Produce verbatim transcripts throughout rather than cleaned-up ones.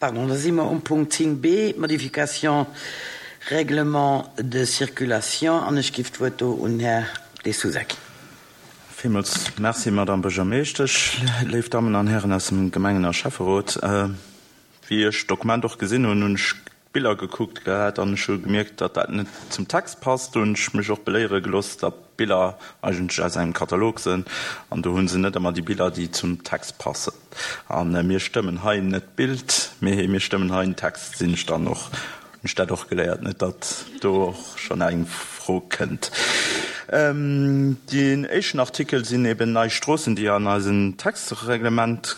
Pardon, da si mer um Punkt zéng B, Modification Règlement de circulation, an ech giff d'Wuert do un Här De Sousa ginn. Villmools Merci, Madame Buergermeeschtesch, léif Dammen an Hären aus dem Gemengen a Schäfferot. Wéi ech d'Dokument och gesinn hunn, hunn ech d'Biller gekuckt gehat an ech hu gemierkt, datt dat net zum Text passt. Do hunn ech mech och beléiere gelooss, datt d'Biller eigentlech aus engem Katalog sinn an do hu se net ëmmer déi Biller, déi zum Text passen. A mir stëmmen hei net d'Bild, mee mir stëmmen hei den Text, sinn ech dann och, hunn ech dat och geléiert, net datt do och schonn eng Fro kënnt. Deen éischten Artikel sinn eben nei Stroossen, déi an eisen Textreglement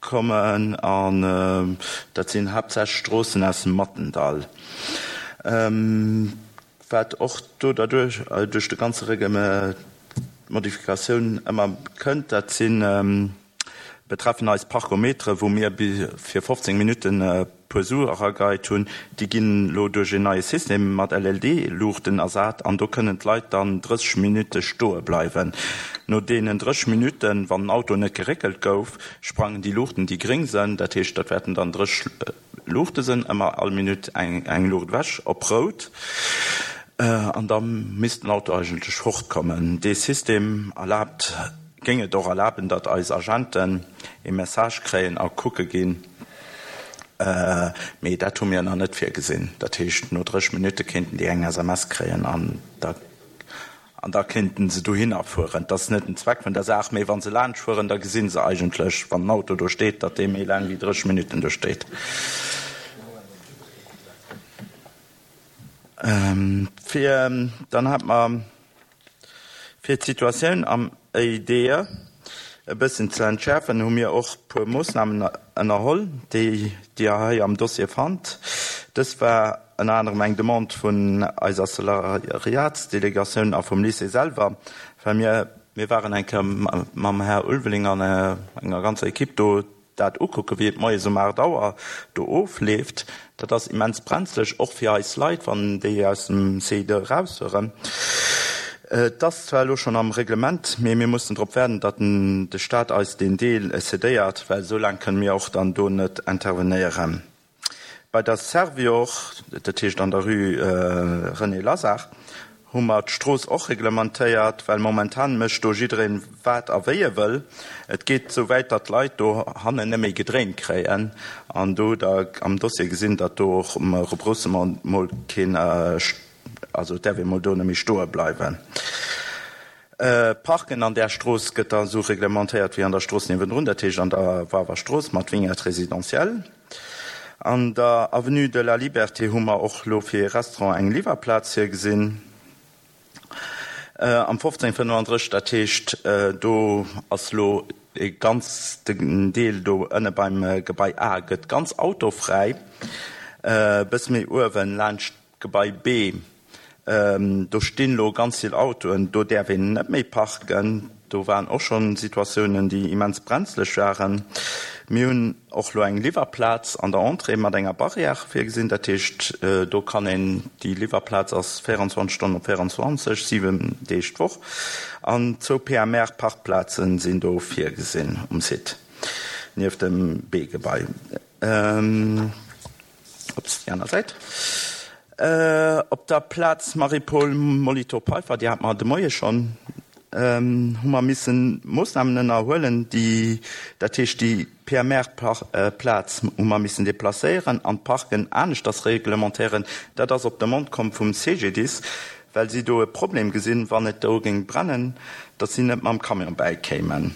kommen, an dat sinn haaptsächlech Stroossen aus dem Mattendall. Wat och do derduerch, duerch de ganze Reglement, d'Modifikatioun ëmmer kënnt, dat si betreffen eis Parkometere, wou mir fir fofzéng Minutten e puer Su erageit hunn. Déi ginn elo duerch een neie System mat L L D-Luuchten ersat an do kënnen d'Leit dann drësseg Minutte stoe bleiwen. No deenen drësseg Minutten, wann den Auto net geréckelt gouf, sprangen déi Luuchten, déi gréng sënn, dat heescht, dat wäerten dann drësseg Luuchte sënn, ëmmer all Minutt eng, eng Luucht ewech, op rout. An da misst den Auto eigentlech fortkommen. Dee System erlaabt, géing et och erlaben, datt eis Agenten ee Message kréien a kucke ginn. Mee dat hu mir nach net virgesinn. Dat heescht, no drësseg Minutte kéinten déi eng S M S kréien an da, an da kéinten se dohinner fueren. Dat ass net den Zweck vun der Saach, mee wa se laanscht fueren, da gesi se eigentlech, wann den Auto do steet, datt dee méi laang wéi drësseg Minutten do steet. Fir, dann hat mer fir d'Situatioun am E I D E e bëssen ze entschärfen, hu mir och puer Moossnamen ënnerholl, déi Dir hei am Dossier fannt. Dës war ënner anerem eng Demande vun eiser Salariatsdelegatioun a vum Lycée selwer, well mir, mir waren eng Kéier mam Här Ulveling an enger ganzer Equipe do dat ukucken, wéi et moies um acht Auer do ofleeft. Dat ass immens brenzlech, och fir eis Leit, wann déi aus dem C I D rausfueren. Et ass zwar elo schonn am Reglement, mee mir mussen drop waarden, datt de Staat eis deen Deel cédéiert, well esou laang kënne mir och dann do net intervenéieren. Bei der Servior, dat heescht an der Rue René Lazard, hu mer d'Strooss och reglementéiert, well momentan mécht do jiddereen wat a wéi e wëll. Et geet sou wäit, datt d'Leit do hannen net méi gedréint kréien. An do hutt Der am Dossier gesinn, datt do och um Rebroussement mol keen, also et däerf ee mol do net méi stoe bleiwen. Parken an där Strooss gëtt da sou reglementéiert wéi an der Strooss niewendrun, dat heescht an der Wawer Strooss mat Vignette résidentielle. An der Avenue de la Liberté hu mer och lo fir ee Restaurant eng Liwwerplaz virgesinn. Am fofzéng fënnefandrësseg, dat heescht do ass lo e ganz den Deel do ënne beim Gebai A gëtt ganz autofräi, e bësse méi uewen laanscht Gebai B, do stinn lo ganz vill Autoen, do däerf een net méi parken. Do waren och schonn Situatiounen, déi immens brenzlech waren. Mir hunn och lo eng Liwwerplaz an der Entrée mat enger Barrière virgesinn. Dat heescht, do kann een, déi Liwwerplaz ass véierundzwanzeg Stonnen op véierundzwanzeg, siwen Deeg d'Woch. An zwou P M R-Parkplazen sinn do virgesinn um Site, nieft dem B-Gebai. Ups, déi aner Säit. Op der Plaz Marie-Paule Molitor-Peiffer, déi hat mer de Moie schonn, hu mer missen Moossnamen ënnerhuelen, déi, dat heescht déi P M R-Plaz hu mer missen deplacéieren an d'Parken aneschters reglementéieren. Dat ass op Demande komm vum C G D I S, well si do e Problem gesinn, wann et do géing brennen, datt si net mam Camion bäikéimen.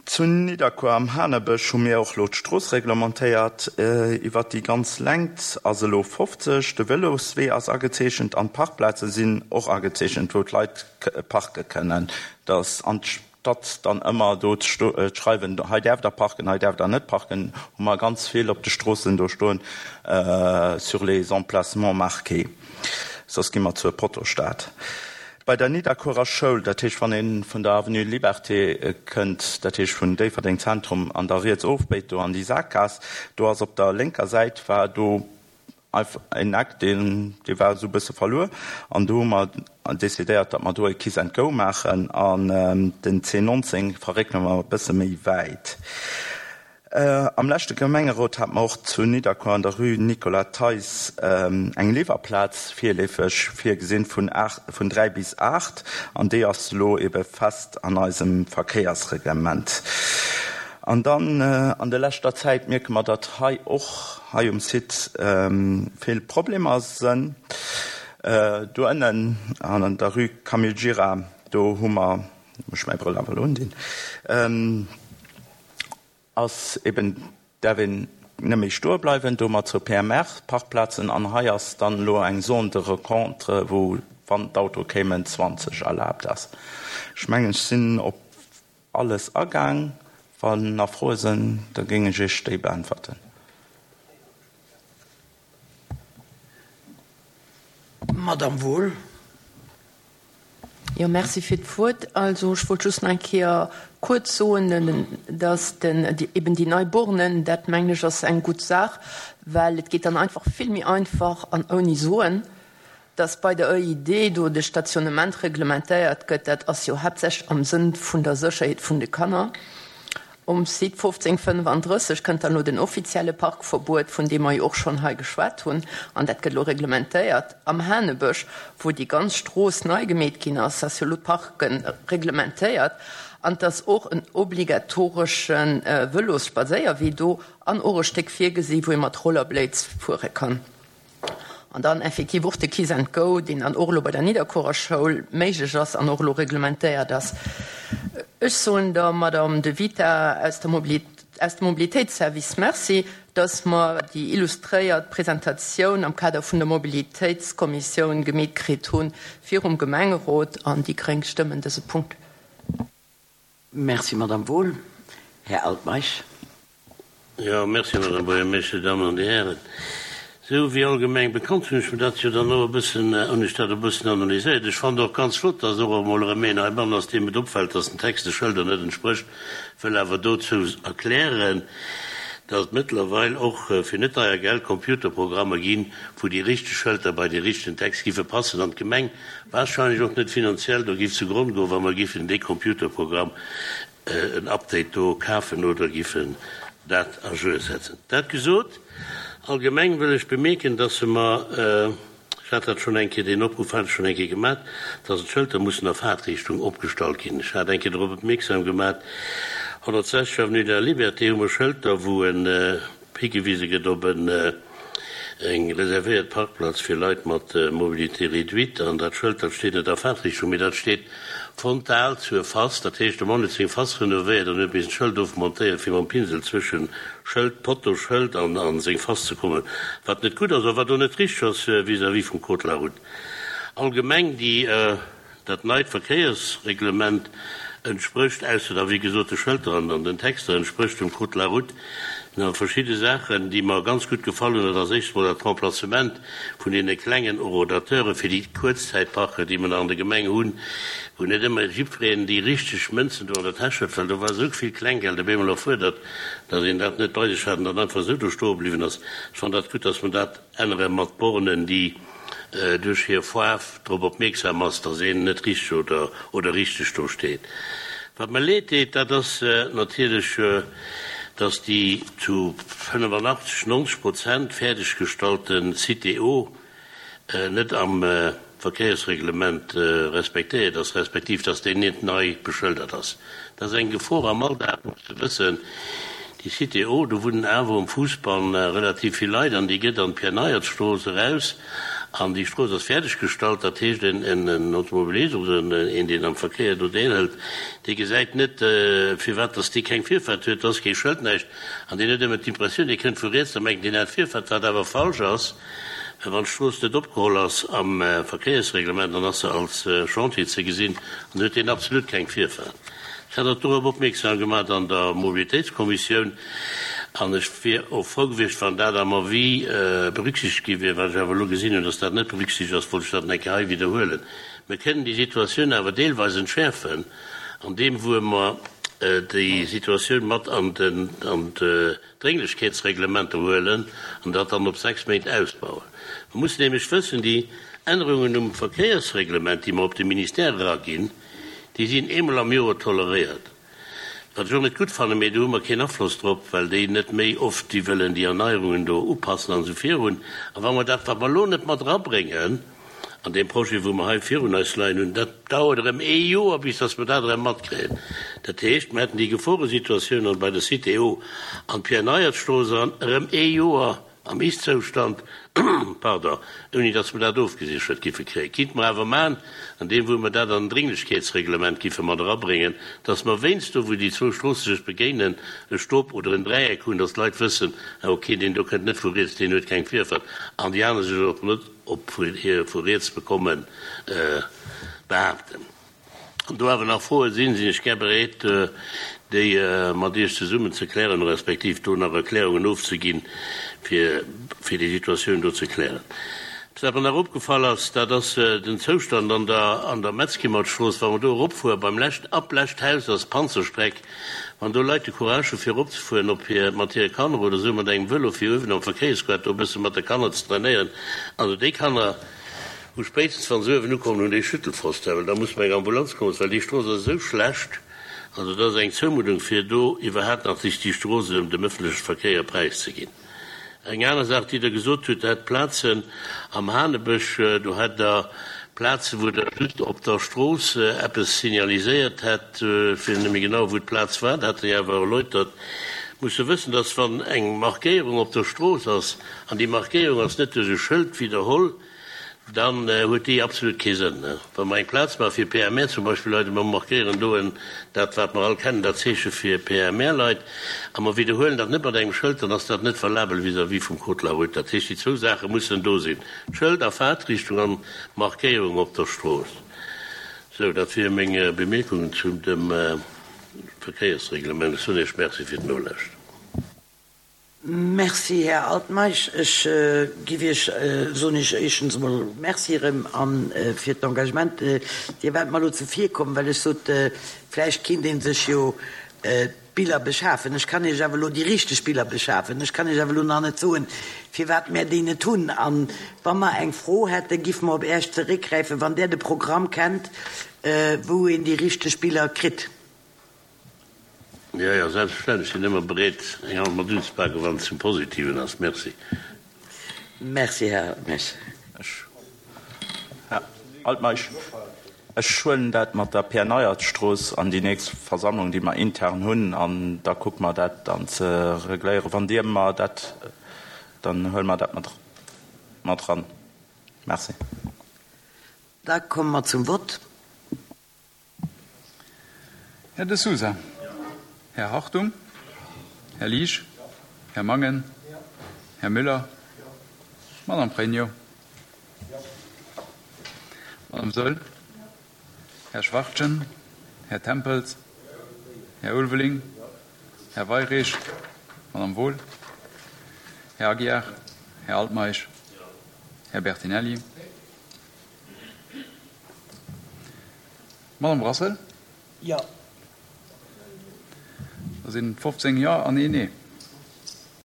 Zu Nidderkuer am Hanebësch hu mir och lo d'Strooss reglementéiert. Iwwer déi ganz Längt ass elo fofzeg. De Vëloswee ass agezeechent an d'Parkplaze sinn och agezeechent, wou d'Leit parke kënnen. Dass anstatt dann ëmmer do ze schreiwen, hei däerf der parken, hei däerf der net parken, hu mer ganz vill op de Stroossen do stoen, sur les emplacements marqués. Soss gi mer zur Pottostaat. Bei der Nidderkuerer Schoul, dat heescht wann ee vun der Avenue Liberté kënnt, dat heescht vun Déifferdeng Zentrum an der riets ofbéit do an déi Saakgaass, do ass op der lénker Säit war do einfach en Eck, deen, dee war esou e bësse verluer an do hu mer decidéiert, datt mer do e Kiss and Go maachen an den C neunzéng verréckele mer e bësse méi wäit. Am leschte Gemengerot hat mer och zu Nidderkuer an der Rue Nicolas Theis eng Liwwerplaz virleefeg virgesinn vun aacht, vun dräi bis aacht, an déi ass elo ebe fest an eisem Verkéiersreglement. An dann an der leschter Zäit mierke mer, datt hei och hei um Site vill Problemer sënn. Do ënnen an der Rue Camille Gira, do hu mer, muss ech mäi Brëll awer elo undinn, ass eben däerf een net méi stoe bleiwen, do mat zwou P M R-Parkplazen an hei ass dann elo eng Zone de rencontre, wou, wann d'Auto kéimen, zwanzeg erlaabt ass. Ech mengen, ech sinn op alles agaang. Wann nach Froe sinn, da géing ech Iech déi beäntwerten. Madame Wohl. Jo, merci fir d'Wuert. Also, ech wollt just nach eng Kéier kuerz soen, dass den, die, eben déi nei Bornen, dat mengen ech ass eng gutt Saach, well et geet dann einfach vill méi einfach an ouni soen, dass bei der E I D do de Stationnement reglementéiert gëtt, dat ass jo haaptsächlech am Sënn vun der Sécherheet vun de Kanner. Um Site fofzéng fënnefandrësseg kënnt dann lo den offizielle Parkverbuet, vun deem mer jo och schonn hei geschwat hunn, an dat gëtt lo reglementéiert. Am Hanebësch, wou déi ganz Strooss nei gemeet ginn ass, ass jo lo d'Parken reglementéiert, an dass och en obligatoreschen Vëlosspadséierwee do an och e Stéck virgesi, wou ee mat Rollerblades fuere kann. An dann effektiv och de Kiss and Go, deen dann och elo bei der Nidderkuerer Schoul méiglech ass an och elo reglementéiert ass. Ech soen der Madame De Vita aus der Mobilität, aus dem Mobilitéitsservice Merci, dass mer déi illustréiert Presentatioun am Kader vun der Mobilitéitskommissioun gemeet kritt hunn virum Gemengerot, an déi Gréng stëmmen dëse Punkt. Merci, Madame Wohl. Här Altmeisch. Ja, merci, Madame Buergermeeschter, Damen an Dir Hären. Sou wéi allgemeng bekannt hunn ech mir dat jo dann och e bëssen, hunn ech dat e bëssen analyséiert. Ech fand och ganz flott, dass och emol erëm een heibannen ass, deem et opfält, dass den Text de Schëlder net entsprécht, wëll awer dozou erklären, dass et mëttlerweil och fir net deier Geld Computerprogrammer ginn, wou déi richteg Schëlter bei dee richtegen Text giffe passen an d'Gemeng wahrscheinlech och net finanziell do giff zu Gronn goen, wa mer giffen dee Computerprogramm en Update do kafen oder giffen dat à jour setzen. Dat gesot, allgemeng wëll ech bemierken, dass se mer, ech hat dat schonn eng Kéier, deen Opruff hat ech schonn eng Kéier gemaach, dass d'Schëlter mussen a Fahrtrichtung opgestallt ginn. Ech hat eng Kéier drop opmierksam gemaach, honnertsechzeg Avenue de la Liberté hu mer Schëlter, wou en higewise gëtt op en eng reservéiert Parkplatz fir Leit mat Mobilité réduite, an dat Schëld, dat steet net a Fahrtrichtung, mee dat steet frontal zur Fass, dat heescht, de Mann huet seng Fass renovéiert an huet missen d'Schëld ofmontéieren, fir mam Pinsel zwëschen Schëld, Potto, Schëld an, an seng Fass ze kommen, wat net gutt ass a wat och net richteg ass vis-à-vis vum Code de la route. Allgemeng déi, dat neit Verkéiersreglement entsprécht, ausser da wéi gesot de Schëlter an, an den Texter, entsprécht dem Code de la route. Na, verschidde Saachen, déi mer ganz gutt gefallen hunn, dat ass éischt mol dat Remplacement vun deene klengen Horodateure fir déi Kuerzzäitparker, déi mer nach an der Gemeng hunn, wou net ëmmer jiddwereen déi richteg Mënzen do an der Täsch huet, well do war esou vill Klenggeld op eemol erfuerdert, datt een dat net bei sech hat an dann einfach esou do stoe bliwwen ass. Ech fand dat gutt, datt mer dat ännere mat Bornen, déi duerch hir Faarf drop opmierksam ass, datt een net richteg oder, oder richteg do steet. Wat mir leed deet, dat ass natierlech, dass déi zu fënnefundachtzeg, neunzeg Prozent fäerdeggestallte Cité O net am Verkéiersreglement respektéiert ass, respektiv dass déi net nei beschëldert ass. Dat ass eng Gefor am Alldag, muss ze wëssen. Déi Cité O, do wunnen awer um Fuussbann relativ vill Leit an déi gëtt an d'Pierre-Neiert-Strooss eraus an déi Strooss ass fäerdeggestallt. Dat heescht, en, en, en Automobilist oder en, een, deen am Verkéier do deelhëlt, dee gesäit net, firwat dass dee keng Virfahrt huet, dass kee Schëld näischt. An deen huet ëmmer d'Impressioun, dee kënnt vu riets, da mengt deen hat Virfahrt, wat awer falsch ass. Wann d'Strooss net opgeholl ass am Verkéiersreglement, dann ass se als Chantier ze gesinn an huet deen absolut keng Virfahrt. Ech hat dat dorop opmierksam gemaach an der Mobilitéitskommissioun an ech wier och frou gewiescht, wann dat am Avis berücksichtigt gi wier, wat ech awer elo gesinn hunn, dass dat net berücksichtigt ass, wollt ech dat eng Kéier hei wiederhuelen. Mir kënnen déi Situatioun awer deelweis entschärfen, an deem, wou mer déi Situatioun mat an den, an d'Drénglichkeetsreglementer huelen an dat dann op sechs Méint ausbauen. Man muss nämlech wëssen, déi Ännerungen um Verkéiersreglement, déi mer op de Ministère eraginn, déi sinn eemol am Joer toleréiert. Wat ech och net gutt fannen, mee do hu mer keen Afloss drop, well déi net méi oft déi wëllen déi Erneierungen do upassen an esou virun. A wa mer dat, wat mer elo net mat erabréngen an deem Projet, wou mer hei virun eis leien hunn, dat dauert erëm ee Joer, bis dass mer dat erëm matkréien. Dat heescht, mer hätten déi Geforesituatioun an bei der Cité O an d'Pierre-Neiertstrooss an erëm ee Joer am Ist-Zoustand, pardon, ouni dass mer dat ofgesichert giffe kréien. Kinnte mer awer maachen, an deem wou mer dat an den Dringlechkeetsreglement giffe mat erabréngen, dass mer wéinst do, wou déi zwou Stroosse sech begéinen, e Stop oder en Dräieck hunn, dass d'Leit wëssen, ah okay, deen do kënnt net vu riets, deen huet keng Virfahrt, an déi aner sech och net op hir vu riets bekommen behaapten. Wann do awer nach Froe sinn, sinn ech gär bereet, déi mat Iech zesummen ze klären, respektiv do nach Erklärungen ofzeginn, fir fir déi Situatioun do ze klären. Eppes, wat mer nach opgefall ass, dat ass den Zoustand an der an der Metzkimertstrooss, wa mer do eropfuere beim lescht, ab lescht Haus ass Panzerstreck, wann do Leit de Courage hu fir eropzefueren op hir, mat hire Kanner oder esou mat engem Vëlo fir uewen am Verkéiersquart do e bësse mat de Kanner ze trainéieren, also déi Kanner hu spéitstens wann se uewen ukommen hunn déi Schüttelfrost, well da muss mer eng Ambulanz kommen, well déi Strooss ass esou schlecht. Also dat ass eng Zoumuddung fir do iwwerhaapt nach sech déi Strooss erëm dem ëffentleche Verkéier präiszeginn. Eng aner Saach, déi Der gesot hutt, Der hätt Plazen am Hanebësch, do hätt Der Plazen, wou Der just op der Strooss eppes signaliséiert hätt, ech weess net méi genau, wou d'Plaz war, dat hat Der jo awer erläutert, musse wëssen, dass wann eng Markéierung op der Strooss ass an déi Markéierung ass net duerch e Schëld widderholl, dann huet déi absolut kee Sënn. Wa mer eng Plaz maache fir P M R zum Beispill, Leit, a mer markéieren do en, dat wat mer all kennen, dat Zeeche fir P M R-Leit, a mer widderhuelen dat net mat engem Schëld, dann ass dat net valabel vis-à-vis vum Code de la route. Dat heescht, déi zwou Saache mussen do sinn, Schëld a Faartrichtung an Markéierung op der Strooss. Sou, dat wiere meng Bemierkungen zu dem Verkéiersreglement. Ech soen Iech Merci fir d'Nolauschteren. Merci, Här Altmeisch. Ech giff Iech, soen Iech éischtens emol Merci erëm a fir d'Engagement. Dir waart mer elo zevirkomm, well ech sot, vläicht kinnt ee sech jo d'Biller beschafen. Ech kann Iech awer elo déi richteg Biller beschafen. Ech kann Iech awer elo nach net soen, firwat mär déi net hunn. A wa mer eng Fro hätten, giffe mer op Äech zeréckgräifen, wann Der de Programm kennt, wou een déi richteg Biller kritt. Jo, jo, selbstverständlech. Ech sinn ëmmer bereet, eng Hand mat unzepaken, wann et zum Positiven ass. Merci. Merci, Här Altmeisch. Ech, Här Altmeisch, ech huelen dat mat der Pierre-Neuert-Strooss an déi nächst Versammlung, déi mer intern hunn, an da kucke mer dat dann ze regléieren. Wann Dir mer dat, dann huele mer dat mat, mat eran. Merci. Da komme mer zum Vott. Här De Sousa. Här Hartung. Här Liesch. Här Mangen. Här Müller. Madame Pregno. Madame Saeul. Här Schwachtgen. Här Tempels. Här Ulveling. Här Weyrich. Madame Wohl. Här Aguiar. Här Altmeisch. Här Bertinelli. Madame Brassel. Jo. Da sinn fofzéng Jo an een Nee.